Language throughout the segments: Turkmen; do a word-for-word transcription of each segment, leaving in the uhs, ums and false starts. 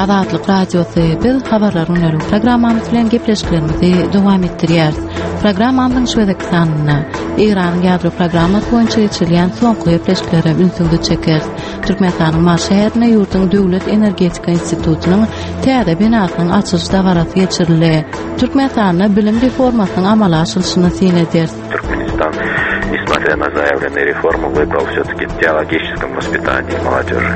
Azatlyk Radiosy. Biz habarlaryň günleri programmamyz bilen gepleşiklerimizi dowam etdirýäris. Programmamyzyň şu gezekki sanynda Eýranyň ýadro programmasy boýunça geçirilýän soňky gepleşiklere ünsüňizi çekeris. Türkmenistanyň Mary şäherinde ýurduň Döwlet energetika institutynyň täze binasynyň açylyş dabarasy geçirildi. Türkmenistanda bilim reformasynyň amala aşyrylyşyna syn ederis. Туркменистан, несмотря на заявленные реформы, выбрал все-таки теологическом воспитании молодежи.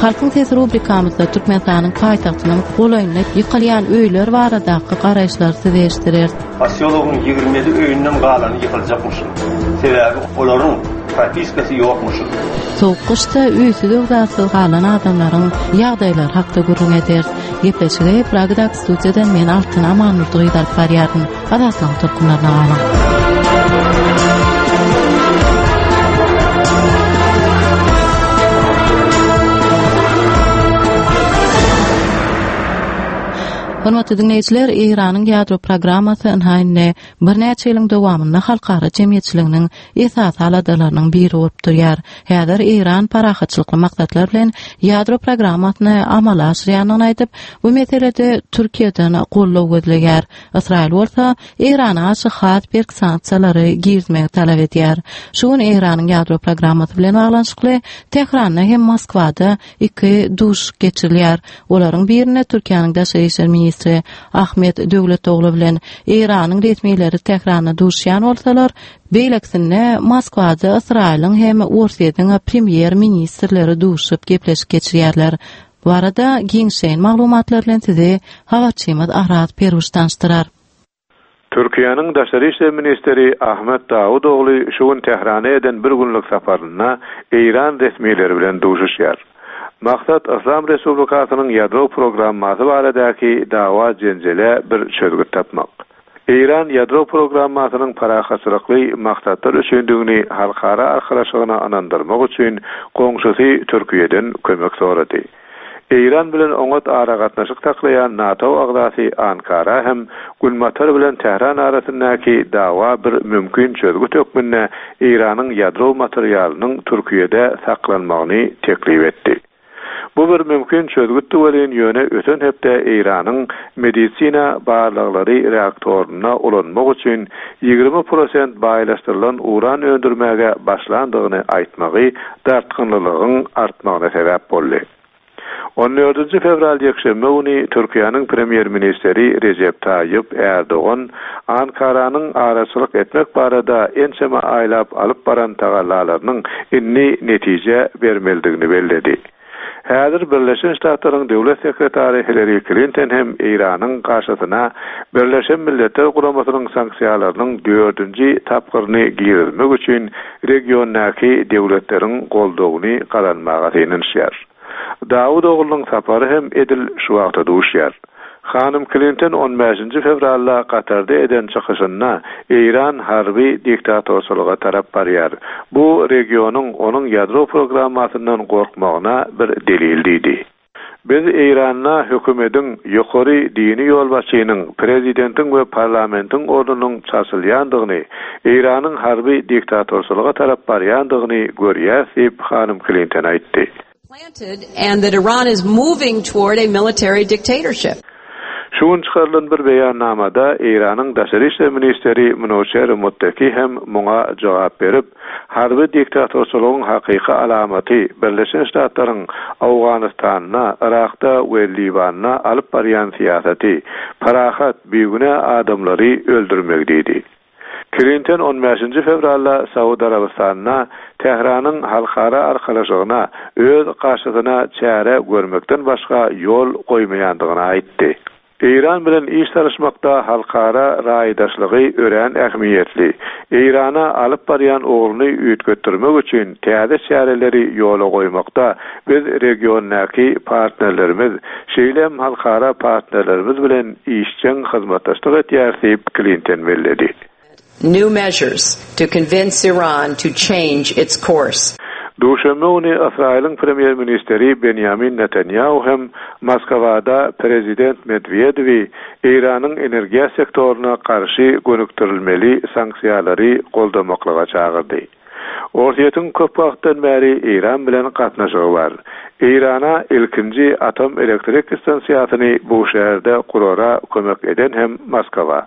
Halkyň sesi rubrikamyzda Türkmenistanyň paýtagtynyň golaýynda ýykylýan öýler baradaky garaýyşlary size eşitdireris. Posýologyň ýigrimi ýedi öýünden galany ýykyljakmyşyn. Sebäbi olaryň propiskasy ýokmuşyn. Sowuk gyşda öýsüz öwzatsyz galan adamlaryň ýagdaýlary hakda gürrüň ederis. Gepleşigi Pragadaky studiýadan men Altyn Amanurdy gyz alyp barýaryn. Azatlygyň tolkunlaryna galyň. Hormatly dinleýjiler, Eýranyň ýadro programmasy ynha indi birnäçe ýylyň dowamynda halkara jemgyýetçiliginiň esasy aladalarynyň biri bolup durýar. Häzir Eýran parahatçylykly maksatlar bilen ýadro programmasyny amala aşyrýandygyny aýdyp, bu meselede Türkiýeden goldaw gözleýär. Ysraýyl bolsa Eýrana garşy has berk sanksiýalary girizmegi talap edýär. Şu gün Eýranyň ýadro programmasy bilen baglanyşykly Tähranda hem Moskwada iki duşuşyk geçirilýär. Olaryň birinde Türkiýäniň daşary işler ministri Ahmet Döwletoglu bilen Eýranyň resmileri Tähranda duşuşýan bolsalar, beýlekisinde Moskwada Ysraýylyň hem Orsýetiň premýer ministrleri duşup gepleşik geçirýärler. Bu arada giňişleýin maglumatlar bilen sizi habarçymyz Araz Peruş tanyşdyrar. Türkiýäniň daşary işler ministri Ahmet Dawudoğlu şu gün Tährana eden bir günlük saparynda Eýran resmileri bilen duşuşýar. Maksat Yslam Respublikasynyň ýadro programmasy baradaky dawa jenjele bir çözgüt tapmak. Eýran ýadro programmasynyň parahatçylykly maksatlar üçindigini halkara arkalaşygyna ynandyrmak üçin goňşusy Türkiýeden kömek sorady. Eýran bilen oňat aragatnaşyk saklaýan NATO agzasy Ankara hem Günbatar bilen Tähran arasyndaky dawa bir mümkin çözgüt hökmünde Eýranyň ýadro materialynyň Türkiýede saklanmagyny teklip etdi. Bu bir mümkin çözgütdi welin ýöne öten hepde Eýranyň medisina barlaglary reaktoryna ulanmak üçin ýigrimi prosent baýlaşdyrylan uran öndürmäge başlandygyny aýtmagy dartgynlylygyň artmagyna sebäp boldy. On dördünji fewral ýekşenbe güni Türkiýäniň premýer ministri Recep Tayyip Erdogan Ankaranyň araçylyk etmek barada ençeme aýlap alyp baran tagallalarynyň indi netije bermelidigini belledi. Häzir Birleşen Ştatlaryň Döwlet sekretary Hillary Clinton hem Eýranyň garşysyna Birleşen Milletler Guramasynyň sanksiýalarynyň dördünji tapgyryny girizmek üçin regiondaky döwletleriň goldawyny gazanmaga synanyşýar. Dawudoğlunyň sapary hem edil şu wagta duşýar. Hanym Clinton on bäşinji fewralda Katarda eden çykyşynda Eýran harby diktatorçylyga tarap barýar. Bu regionyň onuň ýadro programmasyndan gorkmagyna bir delil diýdi. Biz Eýranda hökümetiň ýokary dini ýolbaşçynyň, prezidentiň we parlamentiň ornunyň çalşylýandygyny, Eýranyň harby diktatorçylyga tarap barýandygyny görýäs diýip Hanym Clinton aýtdy. Planted and that Iran is moving toward a military dictatorship. Şu gün çykarylan bir beýannamada Eýranyň daşary işler ministri Minoçer Muttaki hem muňa jogap berip, harby diktatorçylygyň hakyky alamaty Birleşen Ştatlaryň Owganystanda, Irakda we Liwanda alyp barýan syýasaty, parahat, bigünä adamlary öldürmek diýdi. Clinton on bäşinji fewralda Saud Arabystanyna Tähranyň halkara arkalaşygyna öz garşysyna çäre görmekden başga ýol goýmaýandygyny aýtdy. Eýran bilen iş salyşmakda halkara raýdaşlygy örän ähmiýetli. Eýrana alyp barýan ugruny üýtgetdirmek üçin täze çäreleri ýola goýmakda biz regiondaky partnerlerimiz, şeýle hem halkara partnerlerimiz bilen işjeň hyzmatdaşlyk etýäris diýip Clinton belledi. New measures to convince Iran to change its course. Duşenbe güni Ysraýylyň premýer ministri Benjamin Netanyahu hem Moskwada prezident Medwedewi Eýranyň energiýa sektoryna garşy gönükdirilmeli sanksiýalary goldamaklyga çagyrdy. Orsýetiň köp wagtdan bäri Eýran bilen gatnaşygy bar. Eýrana ilkinji atom elektrik stansiýasyny Buşehirde gurara kömek eden hem Moskwa.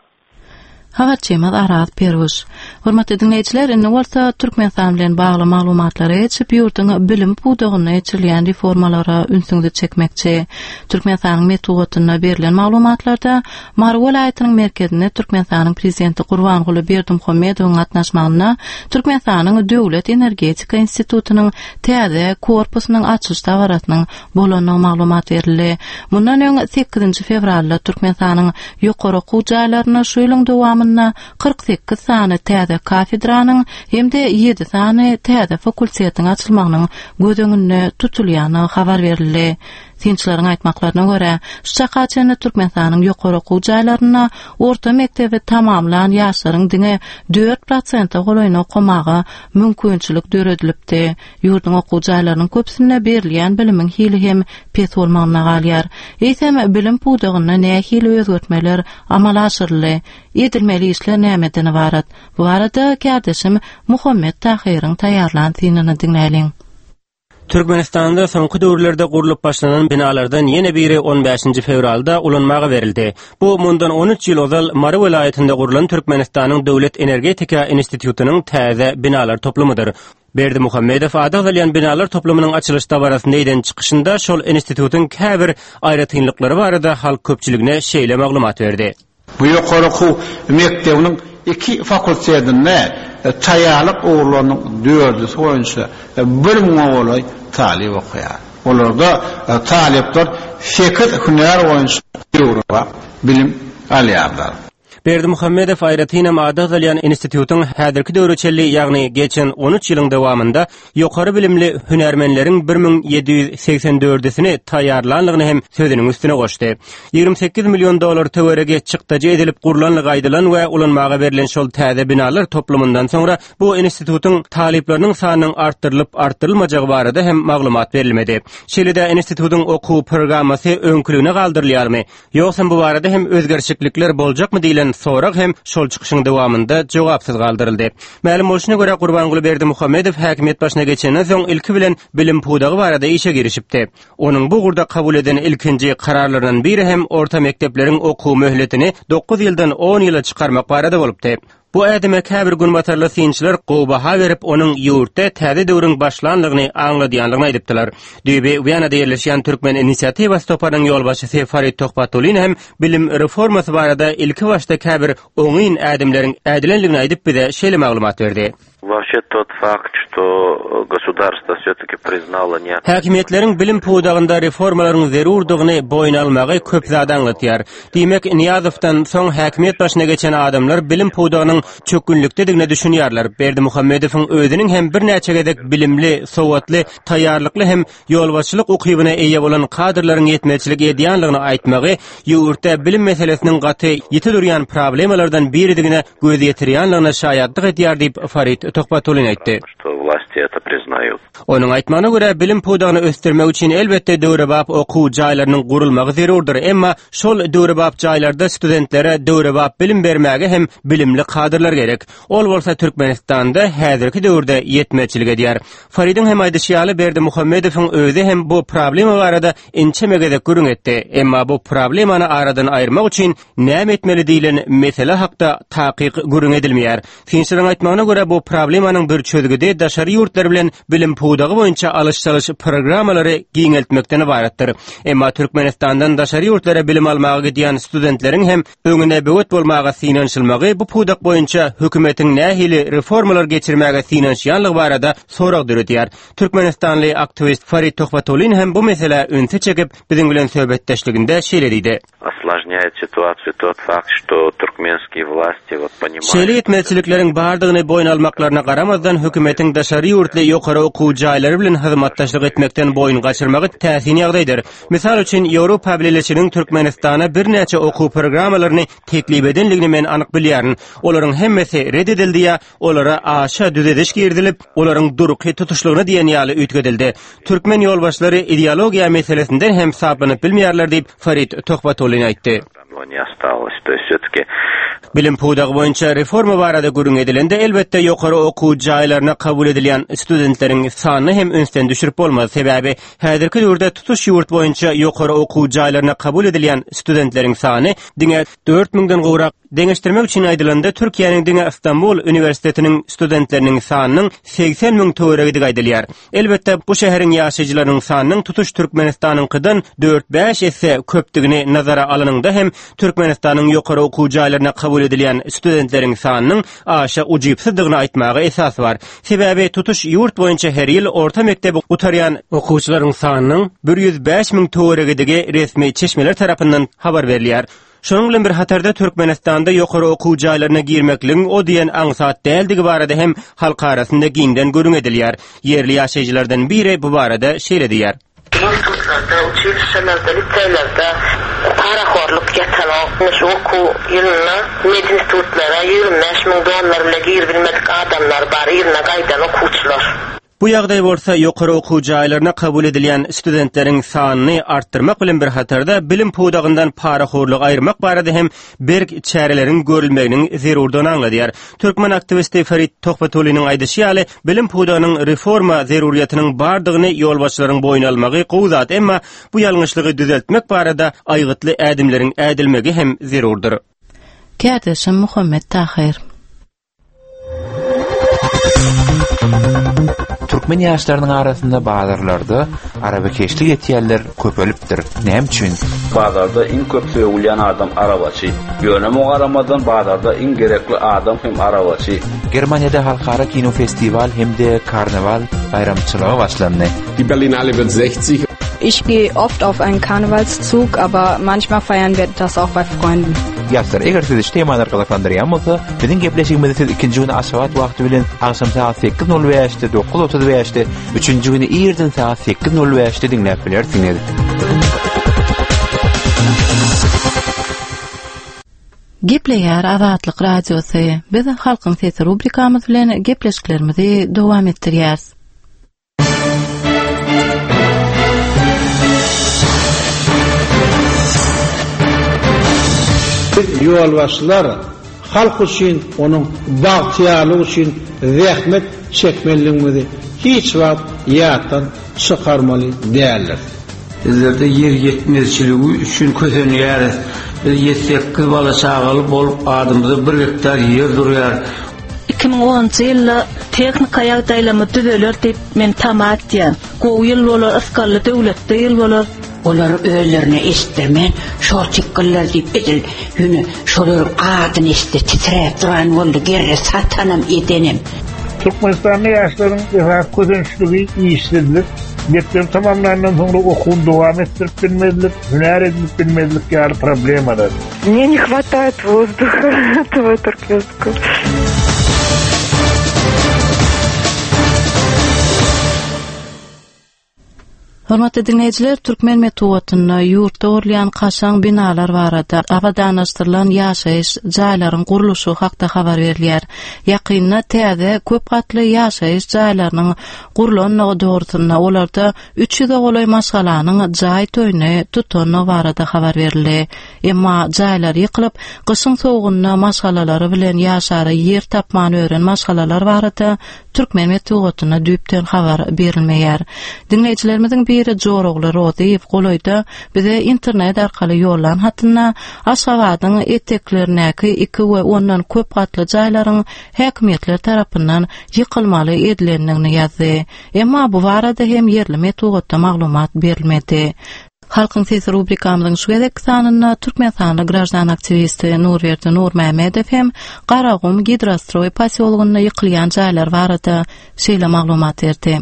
Habarçymyz Araz Peruş. Hormatly dinleýjiler, indi bolsa Türkmenistan bilen bagly maglumatlara geçip, ýurduň bilim pudagynda geçirilýän reformalara ünsüňizi çekmekçi. Türkmenistanyň metbugatynda berlen maglumatlarda Mary welaýatynyň merkezinde Türkmenistanyň prezidenti Gurbanguly Berdimuhamedowyň gatnaşmagynda Türkmenistanyň Döwlet energetika institutynyň täze korpusynyň açylyş dabarasynyň bolandygy maglumat berildi. Mundan öň sekizinji fewralda Türkmenistanyň ýokary okuw jaýlarynda şu ýylyň dowamynda kyrk sekiz sany täze kafedranyň hem-de ýedi sany täze fakultetiň açylmagynyň göz öňünde tutulýandygy habar berildi. Synçylaryň aýtmaklaryna görä, şu çaka çenli Türkmenistanyň ýokary okuw jaýlarynda orta mekdebi tamamlan ýaşlaryň diňe dört prosente golaýyny okamaga mümkinçilik döredilipdi. Ýurduň okuw jaýlarynyň köpüsinde berilýän bilimiň hili hem pes bolmagyna galýar. Eýsem bilim pudagynda nähili özgertmeler amala aşyryldy? Edilmeli işler nämeden ybarat? Bu barada kärdeşim Muhammet Tahyryň taýýarlan synyny diňläliň. Türkmenistanda soňky döwürlerde gurlup başlanan binalardan ýene biri on bäşinji fewralda ulanmaga berildi. Bu mundan on üç ýyl ozal Mary welaýatynda gurlan Türkmenistanyň Döwlet energetika institutynyň täze binalar toplumydyr. Berdimuhamedow ady agzalýan binalar toplumynyň açylyş dabarasynda eden çykyşynda şol institutyň käbir aýratynlyklary barada halk köpçüligine şeýle maglumat berdi. Bu ýokary okuw mekdebiniň iki fakultetinde taýýarlyk ugurlarynyň dördüsi boýunça bir müňe golaý talyp okaýar. Olarda talyplar sekiz hünär boýunça döwrebap bilim alýarlar. Berdimuhamedow aýratynam ady agzalýan institutyň häzirki döwre çenli, ýagny geçen on üç ýylyň dowamynda ýokary bilimli hünärmenleriň bir müň ýedi ýüz segsen dördüsini taýýarlanlygyny hem sözüniň üstüne goşdy. Ýigrimi sekiz million dollar töweregi çykdajy edilip gurlanlygy aýdylan we ulanmaga berlen şol täze binalar toplumyndan soňra bu institutyň talyplarynyň sanynyň artdyrylyp artdyrylmajagy barada hem maglumat berilmedi. Şeýle-de institutyň okuw programmasy öňküligine galdyrylýarmy? Ýogsam bu barada hem özgerişiklikler boljakmy diýlen sorag hem şol çykyşyň dowamynda jogapsyz galdyryldy. Mälim bolşuna görä Gurbanguly Berdimuhamedow häkimiýet başyna geçenden soň ilki bilen bilim pudagy barada işe girişipdi. Onuň bu ugurda kabul eden ilkinji kararlaryndan biri hem orta mekdepleriň okuw möhletini dokuz ýyldan on ýyla çykarmak barada bolupdy. Bu ädime käbir günbatarly synçylar gowy baha berip, onuň ýurtda täze döwrüň başlanlygyny aňladýanlygyny aýdypdylar. Düýbi Wiýanada ýerleşýän Türkmen inisiatiwasy toparynyň ýolbaşçysy Farid Tohbatulin hem bilim reformasy barada ilki başda käbir oňyn ädimleriň ädilenligini aýdyp bize şeýle maglumat berdi. Вообще тот факт, что государство все-таки признало не Häkimiýetleriň bilim pudagynda reformalaryň zerurdygyny boýun almagy köp zat aňlatýar. Diýmek, Niýazowdan soň häkimiýet başyna geçen adamlar bilim pudagynyň çökgünlikdedigine düşünýärler. Berdimuhamedowyň özüniň hem birnäçe gezek bilimli, sowatly, taýýarlykly hem ýolbaşçylyk ukybyna eýe bolan kadrlaryň ýetmezçilik edýänligini aýtmagy ýurtda bilim meselesiniň gaty ýiti durýan problemalardan biridigine göz ýetirýänligine şaýatlyk edýär diýip Farid Tohbatulin aýtdy. Что власти это признают. Onuň aýtmagyna görä bilim pudagyny ösdürmek üçin elbetde döwrebap okuw jaýlarynyň gurulmagy zerurdyr, emma şol döwrebap jaýlarda studentlere döwrebap bilim bermäge hem bilimli kadrlar gerek. Ol bolsa Türkmenistanda häzirki döwürde ýetmezçilik edýär. Faridiň hem aýdyşy ýaly Berdimuhamedowyň özi hem bu problema barada inçe gezek gürrüň etdi. Emma bu problemany aradan aýyrmak üçin näme etmeli diýlen mesele hakda takyk gürrüň edilmeýär. Synçylaryň aýtmagyna görä bu problemanyň bir çözgüdi daşary ýurtlar bilen bilim pudagy boýunça alyş-çalyş programmalary giňeltmekden ybaratdyr. Emma Türkmenistandan daşary ýurtlara bilim almaga gidýän studentleriň hem öňüne böwet bolmaga synanyşylmagy bu pudak boýunça hökümetiň nähili reformalar geçirmäge synanyşýanlygy barada sorag döredýär. Türkmenistanly aktiwist Farid Tohbatulin hem bu meselä ünsi çekip biziň bilen söhbetdeşliginde şeýle diýdi. Осложняет ситуацию тот факт, что туркменские власти вот понимают. Şeýle ýetmezçilikleriň bardygyny boýun almaklaryna garamazdan hökümetiň daşary ýurtly ýokary okuw jaýlary bilen hyzmatdaşlyk etmekden boýun gaçyrmagy täsin ýagdaýdyr. Mysal üçin Ýewropa Bileleşiginiň Türkmenistana birnäçe okuw programmalaryny teklip edenligini men anyk bilýärin. Olaryň hemmesi red edildi ýa olara aşa düzediş girdilip, olaryň durky tutuşlygyna diýen ýaly üýtgedildi. Türkmen ýolbaşçylary ideologiýa meselesinden hem saplanyp bilmeýärler diýip Farid Tohbatulin aýtdy. Не осталось. То есть все-таки Bilim pudagy boýunça reforma barada gürrüň edilende, elbetde ýokary okuw jaýlaryna kabul edilýän studentleriň sanyny hem ünsden düşürip bolmaz. Sebäbi häzirki döwürde tutuş ýurt boýunça ýokary okuw jaýlaryna kabul edilýän studentleriň sany diňe dört müňden gowrak. Deňeşdirmek üçin aýdylanda, Türkiýäniň diňe Istanbul uniwersitetiniň studentleriniň sanynyň segsen müň töweregidigi aýdylýar. Elbetde, bu şäheriň ýaşaýjylarynyň sanynyň tutuş Türkmenistanyňkydan dört-bäş esse köpdügini nazara alanyňda hem Türkmenistanyň ýokary okuw jaýlaryna kabul edilýän studentleriň sanynyň aşa ujypsyzdygyny aýtmaga esas bar. Sebäbi tutuş ýurt boýunça her ýyl orta mekdebi gutarýan okuwçylaryň sanynyň bir ýüz bäş müň töweregidigi resmi çeşmeler tarapyndan habar berilýär. Şonuň bilen bir hatarda Türkmenistanda ýokary okuw jaýlaryna girmekligiň o diýen aňsat däldigi barada hem halk arasynda giňden gürrüň edilýär. Ýerli ýaşaýjylardan biri bu barada şeýle diýýär. Institutlarda, uçilişelerde, liseýlerde parahorluk ýatanok. Şu okuw ýylynda medinstitutlara ýigrimi bäş müň dollar bile girbilmedik adamlar bar, ýylyna gaýdan okuwçylar. Bu ýagdaý bolsa ýokary okuw jaýlaryna kabul edilýän studentleriň sanyny artdyrmak bilen bir hatarda bilim pudagyndan parahorlugy aýyrmak barada hem berk çäreleriň görülmeginiň zerurdygyny aňladýar. Türkmen aktiwisti Farid Tohbatulynyň aýdyşy ýaly, bilim pudagynyň reforma zeruriýetiniň bardygyny ýolbaşçylaryň boýun almagy gowy zat, emma bu ýalňyşlygy düzeltmek barada aýgytly ädimleriň ädilmegi hem zerurdyr. Kärdeşim Muhammet Tahir. Türkmen ýaşlarynyň arasynda bazarlarda arabakeşlik etýänler köpelipdir. Näme üçin? Bazarda iň köp sögülýän adam arabaçy. Ýöne muňa garamazdan bazarda iň gerekli adam hem arabaçy. Germaniýada halkara kino festiwal hem-de karnaval baýramçylygy başlandy. Die Berlinale wird sechzig. Ich gehe oft auf einen Karnevalszug, aber manchmal feiern wir das auch bei Freunden. Ýaşlar, eger sizi şu temalar gyzyklandyrýan bolsa, biziň gepleşigimizi siz ikinji güni Aşgabat wagty bilen agşam sagat sekiz nol bäşde, dokuz otuz bäşde, üçünji güni irden sagat sekiz nol bäşde diňläp bilersiňiz. Gepleýär Azatlyk Radiosy. Biz Halkyň Sesi rubrikamyz bilen gepleşiklerimizi dowam etdirýäris. Biz ýolbaşçylar halk üçin, onuň bagtyýarlygy üçin zähmet çekmeliligimizi hiç wagt ýatdan çykarmaly däldir. Bizlerde ýer ýetmezçiligi üçin kösenýäris. Biz ýedi sekiz bala çagaly bolup adymyza bir gektar ýer durýar. Iki müň onunjy ýylda tehnika ýagdaýlamy düzeler diýip men tama etýän. Gowy ýyl bolar, ysgally döwletde ýyl bolar. Olar özlerine eşitdirmän, şol çykgyllar diýip edil, ýöne şolaryň adyny eşitdi, titräp duran boldy, gerre satanam edenem. Türkmenistanda ýaşlaryň esasy kösençligi işsizlik, mekdep tamamlandan soňra okuwyny dowam etdirip bilmezlik, hünär edinip bilmezlik ýaly problemalar. Мне не хватает воздуха этого туркменского. Hormatly dinleýjiler, Türkmen metbugatynda ýurtda gurulýan kaşaň binalar barada abadanlaşdyrylan ýaşaýyş jaýlaryň gurluşy hakda habar berilýär. Ýakynda täze köp gatly ýaşaýyş jaýlarynyň gurlandygy dogrusynda olarda üç ýüze golaý maşgalanyň jaý toýuny tutandygy barada habar berildi. Emma jaýlar ýykylyp, gyşyň sowugynda maşgalalary bilen ýaşara ýer tapman ören maşgalalar barada Türkmen metbugatynda düýpden habar berilmeýär. Dinleýjilerimiziň biri Jorogly Rozyýew golaýda bize internet arkaly ýollan hatynda Aşgabadyň eteklerindäki iki we ondan köp gatly jaýlaryň häkimiýetler tarapyndan ýykylmaly edilendigini ýazdy. Emma bu barada hem ýerli metbugatda maglumat berilmedi. Halkyň Sesi rubrikamyzyň şu gezek sanynda Türkmenistanly graždan aktiwisti Nurberdi Nurmämmedow hem Garagum Gidrostroý posýologynda ýykylýan jaýlar barada şeýle maglumat berdi.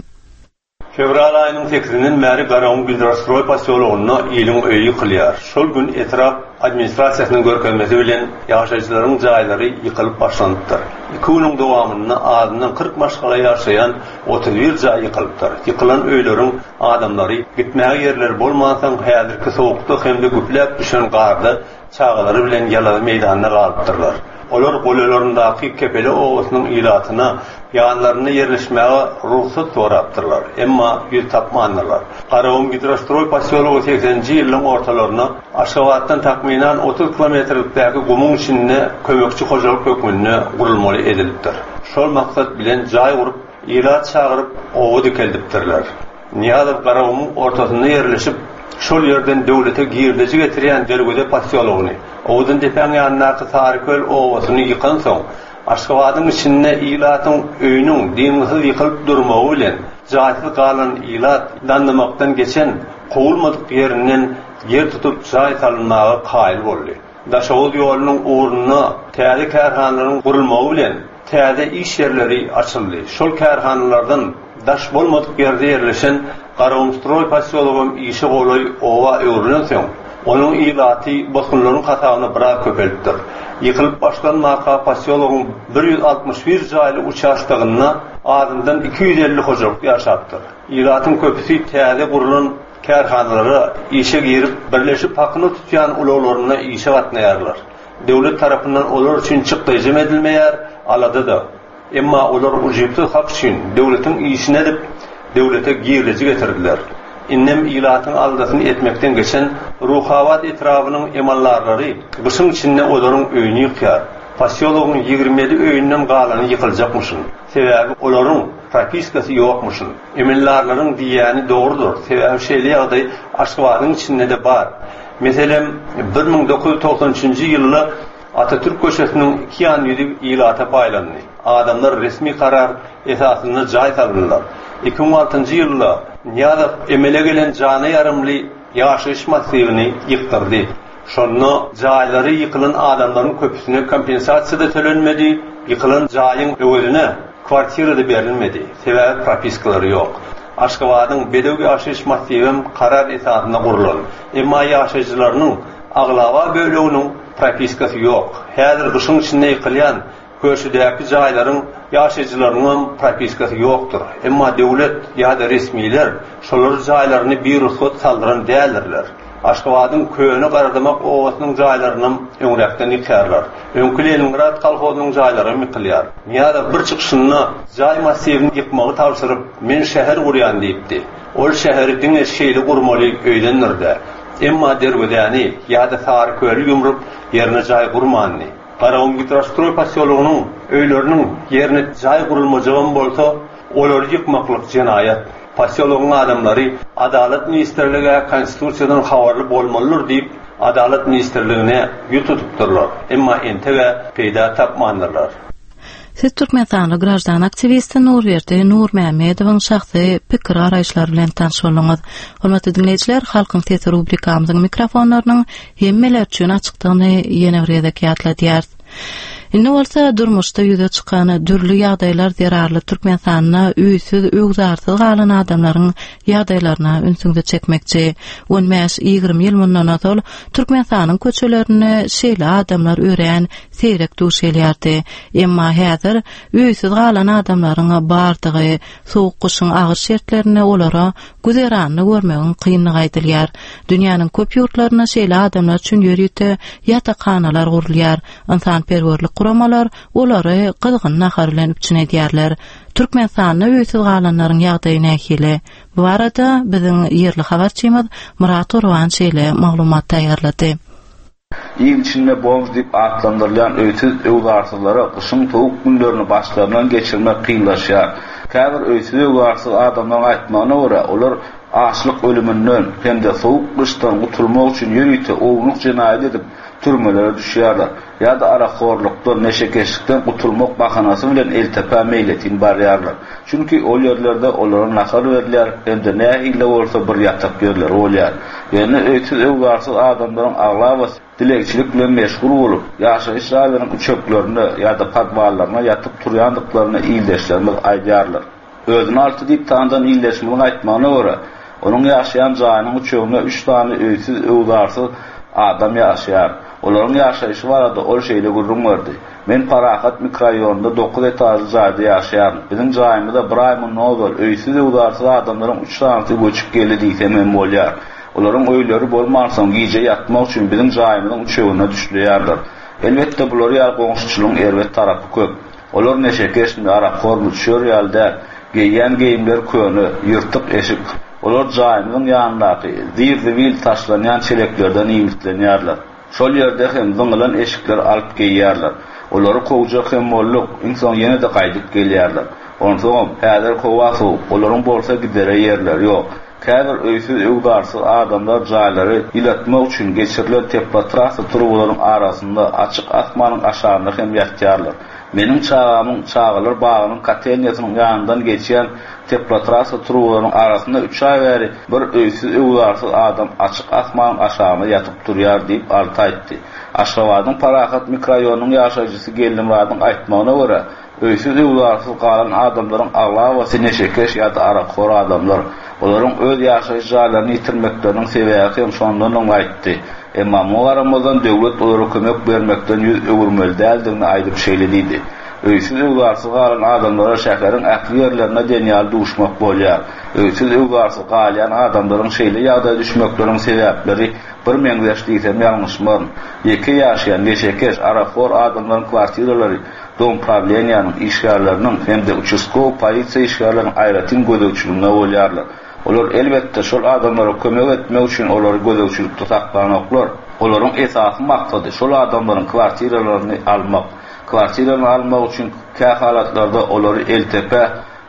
Fevral aýynyň sekizinden bäri Garagum Gidrostroý posýologynda iliň öýi ýykylýar. Şol gün etrap administrasiýasynyň görkezmesi bilen ýaşaýjylaryň jaýlary ýykylyp başlanypdyr. Iki günüň dowamynda azyndan kyrk maşgala ýaşaýan otuz bir jaý ýykylypdyr. Ýykylan öýleriň adamlary gitmäge ýerleri bolmansoň häzirki sowukda hem-de güpläp düşen garda çagalary bilen ýalazy meýdanda galypdyrlar. Olar golaýlaryndaky Kepele obasynyň ilatyna ýanlarynda ýerleşmäge rugsat sorapdyrlar, emma ýüz tapmandyrlar. Garagumgidrostroý posýology segseninji ýyllaryň ortalarynda Aşgabatdan takmynan otuz kilometrlikdäki gumuň içinde kömekçi hojalyk hökmünde gurulmaly edilipdir. Şol maksat bilen jaý gurup, ilat çagyryp, oba dikeldipdirler. Nyýazow Garagumuň ortasynda ýerleşip, şol ýerden döwlete girdeji getirýän Derweze posýologyny, Owadandepäň ýanyndaky Saryköl obasyny ýykansoň, Aşgabadyň içinde ilatyň öýüniň dyngysyz ýykylyp durmagy bilen, jaýsyz galan ilat dandymakdan geçen, kowulmadyk ýerinden ýer tutup jaý salynmaga kaýyl boldy. Daşoguz ýolunyň ugrunda täze kärhanalaryň gurulmagy bilen, täze iş ýerleri açyldy. Şol kärhanalardan daş bolmadyk ýerde ýerleşen Garagumstroý posýologam işe golaý oba öwrülensoň, onuň ilaty bosgunlaryň hasabyna biraz köpelipdir. Ýykylyp başlanmaka posýologyň bir ýüz altmyş bir jaýly uçastogynda azyndan iki ýüz elli hojalyk ýaşapdyr. Ilatyň köpüsi täze gurlan kärhanalara işe girip, birleşip hakyna tutýan ulaglarynda işe gatnaýarlar. Döwlet tarapyndan olar üçin çykdaýjam edilmeýär, alada-da. Emma olar ujypsyz hak üçin döwletiň işini edip, döwlete girdeji getirdiler. Indem ilatyň aladasyny etmekden geçen Ruhabat etrabynyň emaldarlary gyşyň içinde olaryň öýüni ýykýar. Posýologyň ýigrimi ýedi öýünden galany ýykyljakmyşyn. Sebäbi olaryň propiskasy ýokmuşyn. Emeldarlaryň diýýäni dogrudyr, sebäbi şeýle ýagdaý Aşgabadyň içinde-de bar. Meselem, bir müň dokuz ýüz togsan üçünji ýylda Atatürk köçesiniň iki ýan ýüzi ilata paýlandy. Adamlar resmi karar esasynda jaý salyndylar. Iki müň altynjy ýylda Nyýazow emele gelen jana ýarymly ýaşaýyş massiwini ýykdyrdy. Şonda jaýlary ýykylan adamlaryň köpüsine kompensasiýa-da tölenmedi, ýykylan jaýyň öwezine kwartira-da berilmedi, sebäbi propiskalary ýok. Aşgabadyň Bedew ýaşaýyş massiwem karar esasynda gurlan, emma ýaşaýjylarynyň aglaba böleginiň propiskasy ýok. Häzir gyşyň içinde ýykylýan Köşüdäki jaýlaryň ýaşaýjylarynyňam propiskasy ýokdur. Emma döwlet ýa-da resmiler şolary jaýlaryny birugsat saldyran däldirler. Aşgabadyň köne Garadamak obasynyň jaýlarynam öňräkden ýykýarlar. Öňki Leningrad kolhozynyň jaýlaram ýykylýar. Nyýazow bir çykyşynda jaý massiwini ýykmagy tabşyryp, men şäher gurýan diýipdi. Ol şäheri diňe şeýle gurmaly öýdendir-dä. Emma Derwezäni ýa-da Saryköli ýumrup, ýerine jaý gurmandy. Garagumgidrostroý posýologynyň öýleriniň ýerine jaý gurulmajagam bolsa, olary ýykmaklyk jenaýat. Posýologyň adamlary Adalat ministrlige Konstitusiýadan habarly bolmalydyr diýip, Adalat ministrligine ýüz tutupdyrlar, emma enteg-ä peýda tapmandyrlar. Siz türkmenistanly graždan aktiwisti Nurberdi Nurmämmedowyň şahsy pikir-garaýyşlary bilen tanyş bolduňyz. Hormatly diňleýjiler, Halkyň sesi rubrikamyzyň mikrofonlarynyň hemmeler üçin açykdygyny ýene bir gezek ýatladýarys. Indi bolsa durmuşda ýüze çykan dürli ýagdaýlar zerarly Türkmenistanda öýsüz, öwzarsyz galan adamlaryň ýagdaýlaryna ünsüňizi çekmekçi. On bäş-ýigrimi ýyl mundan ozal Türkmenistanyň köçelerinde şeýle adamlar örän seýrek duş gelýärdi. Emma häzir öýsüz galan adamlaryň bardygy, sowuk gyşyň agyr şertlerinde olara güzeranyny görmegiň kynlygy aýdylýar. Dünýäniň köp ýurtlarynda şeýle adamlar üçin ýörite ýatakhanalar gurulýar. Ynsanperwerlik guramalar olary gyzgyn nahar bilen üpjün edýärler. Türkmenistanda öýsüz galanlaryň ýagdaýy nähili? Bu barada biziň ýerli habarçymyz Myrat Gurban şeýle maglumat taýýarlady. Il içinde bomž diýip atlandyrylýan öýsüz-öwzarsyzlara gyşyň sowuk günlerini başlaryndan geçirmek kynlaşýar. Käbir öýsüz-öwzarsyz adamlaryň aýtmagyna görä, olar açlyk ölüminden hem-de sowuk gyşdan gutulmak üçin ýörite ownuk jenaýat edip, türmelere düşýärler ýa-da arakhorlukdan, neşekeşlikden gutulmak bahanasy bilen Eltepä meýletin barýarlar. Çünki ol ýerlerde olara nahar berilýär hem-de nähili-de bolsa bir ýatak ýerleri bolýar. Ýöne öýsüz-öwzarsyz adamlaryň aglabasy dilegçilik bilen meşgul bolup, ýaşaýyş jaýlaryň üçeklerinde ýa-da podwallarynda ýatyp turýandyklaryny ildeşlerimiz aýdýarlar. Özüni Alty diýip tanydan ildeşimiziň aýtmagyna görä, onuň ýaşaýan jaýynyň üçeginde üç sany öýsüz-öwzarsyz adam ýaşaýar. Olaryň ýaşaýşy barada ol şeýle gürrüň berdi, Men Parahat mikroraýonynda dokuz etažly jaýda ýaşaýaryn. Biziň jaýymyza bir aý mundan ozal öýsüz-öwzarsyz adamlaryň üç sanysy göçüp geldi diýsem hem bolýar. Olaryň öýleri bolmansoň, gije ýatmak üçin biziň jaýymyzyň üçeginde düşleýärler. Elbetde bular ýaly goňşuçylygyň erbet tarapy köp. Olar neşekeşmi, arakhormy, şör ýaly däl. Geýýän geýimleri köne, ýyrtyk eşik. Olar jaýymyzyň ýanyndaky zir-zibil taşlanýan çeleklerden iýmitlenýärler. Şol ýerde hem zyňylan eşikleri alyp geýýärler. Olary kowjak hem bolduk, iň soň ýene-de gaýdyp gelýärler. Onsoňam, häzir howa sowuk, olaryň bolsa gidere ýerleri ýok. Käbir öýsüz-öwzarsyz adamlar jaýlary ýylatmak üçin geçirilen teplotrassa turbalaryň arasynda açyk asmanyň aşagynda hem ýatýarlar. Meniň çagamyň çagalar bagynyň kotelniýasynyň ýanyndan geçýän teplotrassa turbalaryň arasynda üç aý bäri bir öýsüz-öwzarsyz adam açyk asmanyň aşagynda ýatyp durýar diýip, Alty aýtdy. Aşgabadyň Parahat mikroraýonynyň ýaşaýjysy Geldimyradyň aýtmagyna görä, öýsüz-öwzarsyz galan adamlaryň aglabasy neşekeş ýa-da arakhor adamlar. Olaryň öz ýaşaýyş jaýlaryny ýitirmekleriniň sebäbi hem şondandygyny aýtdy. Emma muňa garamazdan döwlet olara kömek bermekden ýüz öwürmeli däldigini aýdyp şeýle diýdi. Öýsüz-öwzarsyz galan adamlara şäheriň ähli ýerlerinde diýen ýaly duşmak bolýar. Öýsüz-öwzarsyz galýan adamlaryň şeýle ýagdaýa düşmekleriniň sebäpleri birmeňzeş diýsem ýalňyşmaryn. Ýeke ýaşaýan, neşekeş, arakhor adamlaryň kwartiralary domprawleniýanyň işgärleriniň hem-de uçastkowy polisiýa işgärleriniň aýratyn gözegçiliginde bolýarlar. Olar elbetde şol adamlara kömek etmek üçin olary gözegçilikde saklanoklar. Olaryň esasy maksady şol adamlaryň kwartiralaryny almak. Kwartiralaryny almak üçin kähalatlarda olary eltepe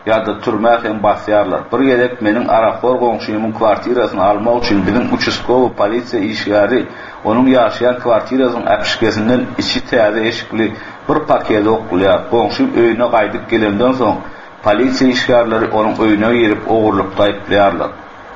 ýa-da türmä hem basýarlar. Bir gezek meniň arakhor goňşymyň kwartirasyny almak üçin biziň uçastkowy polisiýa işgäri onuň ýaşaýan kwartirasynyň äpişgesinden içi täze eşikli bir paketi oklaýar. Goňşym öýüne gaýdyp gelenden soň polisiýa işgärleri onuň öýüne girip ogurlykda aýyplaýarlar.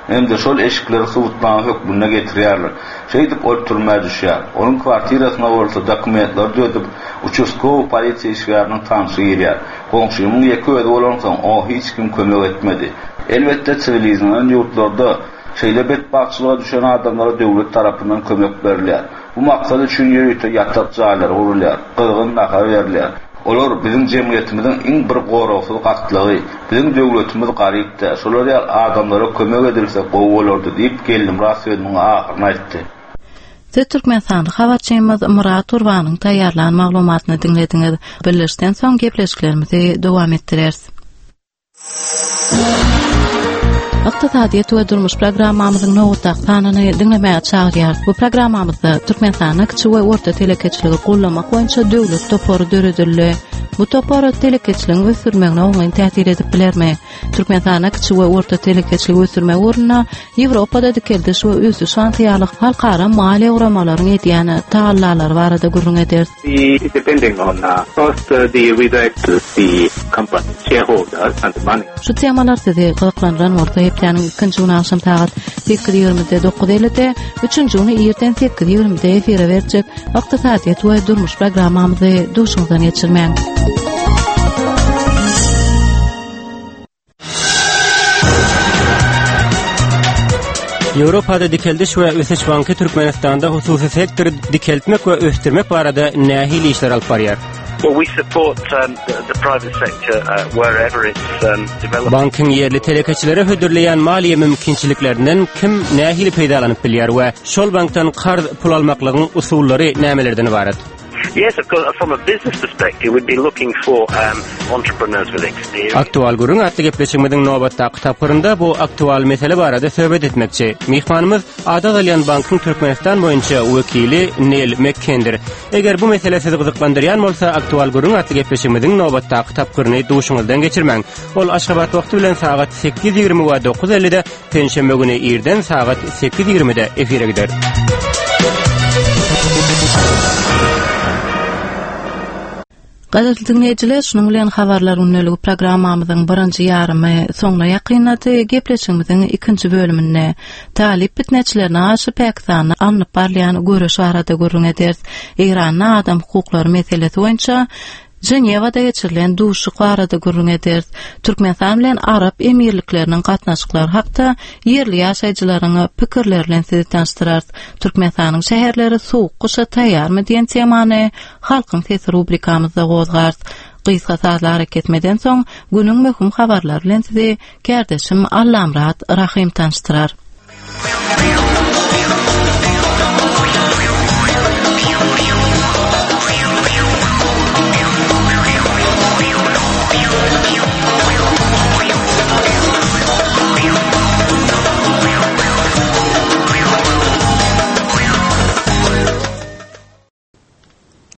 Hem-de şol eşikleri subutnama hökmünde getirýärler. Şeýdip ol türmä düşýär. Onuň kwartirasyna bolsa dokumentleri düzedip uçastkowy polisiýa işgäriniň tanşy girýär. Goňşymyň ýeke özi bolansoň oňa hiç kim kömek etmedi. Elbetde siwilizlenen ýurtlarda şeýle betbagtçylyga düşen adamlara döwlet tarapyndan kömek berilýär. Bu maksat üçin ýörite ýatak jaýlary gurulýar, gyzgyn nahar berilýär. Olar biziň jemgyýetimiziň iň bir goragsyz gatlagy, biziň döwletimiz garypdy. Şolar ýaly adamlara kömek edilse gowy bolardy diýip Geldimyrat sözüniň ahyryny aýtdy. Siz Türkmenistanly habarçymyz Murat Gurbanyň taýýarlan maglumatyny diňlediňiz. Birleşden soň gepleşiklerimizi dowam etdireris. Ykdysadyýet we durmuş programmamyzyň nobatdaky sanyny diňlemäge çagyrýarys. Bu programmamyzda Türkmenistanda kiçi we orta telekeçiligi gollamak boýunça döwlet topary döredildi. Bu topar telekeçiligiň ösdürmegine oňyn täsir edip bilermi? Türkmenistanda kiçi we orta telekeçiligi ösdürmek ugrunda Ýewropada dikeldiş we ösüş banky ýaly halkara maliýe guramalaryň edýän tagallalary barada gürrüň ederis. The, depending on uh, first uh, the we to the company shareholders and the money. Şu temalar sizi gyzyklandyran bolsa hepdäniň ikinji güni agşam sagat sekiz ýigrimide dokuz ellide, üçünji güni irden sekiz ýigrimide efire berjek ykdysadyýet we durmuş programmamyzy duşuňyzdan geçirmäň. Ýewropada Dikeldiş we Ösüş Banky Türkmenistanda hususy sektory dikeltmek we ösdürmek barada nähili işler alyp barýar? Well, we support um, the, the private sector uh, wherever it's um, developed. Bankyň ýerli telekeçilere hödürleýän maliýe mümkinçiliklerinden kim nähili peýdalanyp bilýär we şol bankdan karz pul almaklygyň usullary nämelerden ibarat? Yes, of course, from a business perspective, we'd be looking for um, entrepreneurs with experience. Aktual gürrüň atly gepleşigimiziň nobatdaky tapgyrynda bu aktual mesele barada söhbet etmekçi. Myhmanymyz Ada Galýan bankyň Türkmenistan boýunça wekili Neil McKendir. Eger bu mesele sizi gyzyklandyrýan bolsa, aktual gürrüň atly gepleşigimiziň nobatdaky tapgyryny duşuňyzdan geçirmäň. Ol Aşgabat wagty bilen sagat sekiz ýigrimi we dokuz ellide, penşenbe güni irden sagat sekiz ýigrimide efire gider. Gadyrly dinleýjiler, şunuň bilen habarlar gündeligi programmamyzyň birinji ýarymy soňuna ýakynlady. Gepleşigimiziň ikinji bölüminde talyp fitneçilerine garşy Pakistanda alnyp barylýan göreş barada gürrüň ederis. Eýranda adam hukuklary meselesi boýunça Ženewada geçirilen duşuşyk barada gürrüň ederis. Türkmenistan bilen Arap Emirlikleriniň gatnaşyklary hakda ýerli ýaşaýjylaryň pikirleri bilen sizi tanyşdyrarys. Türkmenistanyň şäherleri sowuk gyşa taýýarmy diýen temany Halkyň sesi rubrikamyzda gozgarys. Gysga sazly hareketmeden soň günüň möhüm habarlary bilen sizi kärdeşim Allamyrat Rahym tanyşdyrar.